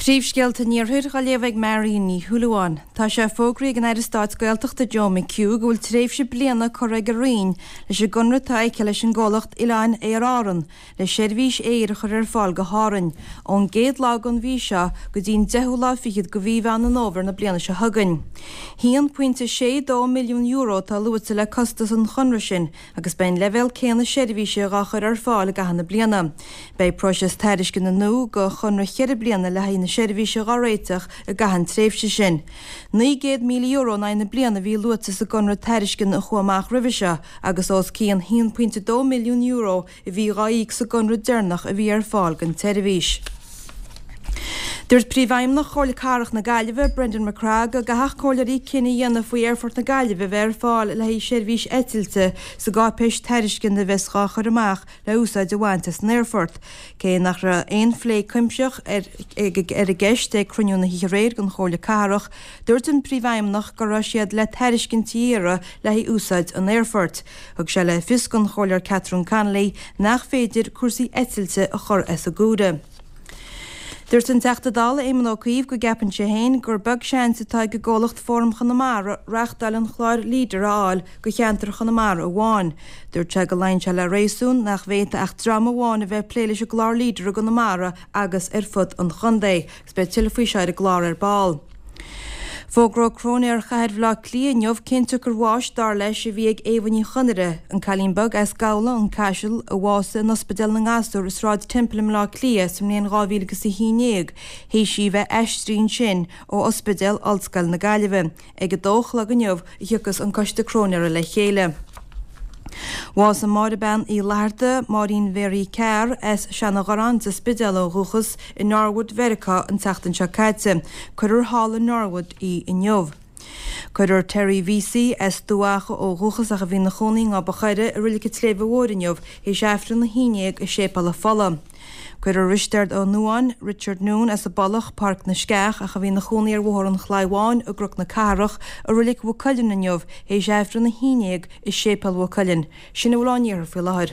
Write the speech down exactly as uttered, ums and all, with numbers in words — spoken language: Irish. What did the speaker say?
Príomhscéalta an Iarthair á léamh ag Marion Ní Shúilleabháin. Tá sé fógraithe ag an Aire Stáit Gaeltachta Joe McHugh go bhfuil tréimhse bliana curtha ag a Roinn leis an gconradh atá aici leis an gcomhlacht Oileáin Aer Árann le seirbhís aeir a chur ar fáil go hÁrainn ón gcéad lá den mhí seo go dtí an deichiú lá fichead de mhí Mheán an Fhómhair na bliana seo chugainn. haon pointe sé dó milliún euro atá luaite le costas an chonradh sin agus beidh an leibhéal céanna seirbhíse dhá chur ar fáil i gcaitheamh na bliana. Beidh próiseas tairisceana nua do chonradh ceithre bliana le haghaidh na seirbhíse dhá réiteach i gcaitheamh an tréimhse sin. Naoi gcéad míle euro in aghaidh na bliana a bhí luaite sa gconradh tairisceana a chuaigh amach roimhe seo agus os cionn haon pointe dó milliún euro a bhí dhá íoc sa gconradh deireanach a bhí ar fáil don tseirbhís. Dúirt Príomhfheidhmeannach Chomhairle Cathrach na Gaillimhe, Brendan MacCraith, go gcaithfeadh comhairleoirí cinneadh a dhéanamh faoi Aerfort na Gaillimhe a bheith ar fáil le haghaidh seirbhís eitilte sa gcáipéis tairisceana a bheas dhá chur amach le úsáid a bhaint as an aerfort. Cé nach raibh aon phlé cuimsitheach ar ar an gceist ag cruinniú na hoíche aréir den Chomhairle Cathrach, dúirt an Príomhfheidhmeannach go raibh siad le tairiscintí a iarraidh le haghaidh úsáid an aerfoirt. Thug sé le fios don Chomhairleoir Catherine Connolly nach féidir cúrsaí eitilte a chur as an gcomhaireamh. Dúirt an Teachta Dála Éamon Ó Cuív go gceapann sé féin gur beag seans atá ag an gcomhlacht Fóram Chonamara reáchtáil an chláir Leader a fháil do cheantar Chonamara amháin. Dúirt sé go luíonn sé le réasún nach bhféadfadh ach dream amháin a bheith ag plé leis an gclár Leader i gConamara agus ar fud an chontae. Agus beidh tuilleadh faoi seo ar an gclár ar ball. Fógróidh Cróinéir Chathair Bhaile Átha Cliath inniu cén tsiocair bháis, dar leis, a bhí ag Éabha Ní Chonaire, an cailín beag as Gabhla, an Caiseal, a bhásaigh in Ospidéal na nGasúr i Sráid Temple i mBaile Átha Cliath sa mbliain dhá mhíle agus a haon déag, théis í bheith aistrithe ansin ó Ospidéal Ollscoil na Gaillimhe. Ag a dó a chlog inniu a thiocfas an Coiste Cróinéara le chéile. Bhásaigh Máire Bean Uí Fhlatharta, Máirín Mhary Carr, as Seanadh-Ghorráin, sa Spidéal ó dhúchas, i Norwood, Mheiriceá an tseachtain seo caite. Cuirfear thall i Norwood í inniu. Cuirfear Terry Vesey, as Dumha Acha ó dhúchas ach a bhí ina chónaí i nGob an Choire, i Reilig an tSléibhe Mhóir inniu, théis Aifreann a haon déag i Séipéal an Phollaigh. Cuirfear Risteard Ó Nuáin, Richard Noone, as an bPollach, Páirc na Sceach, ach a bhí ina chónaí ar Bhóthar an Chlaí Bháin i gCnoc na Cathrach, i Reilig Mhaigh Cuilinn inniu, théis Aifreann a haon déag i Séipéal Mhaigh Cuilinn. Sin a bhfuil ón iarthar faoi láthair.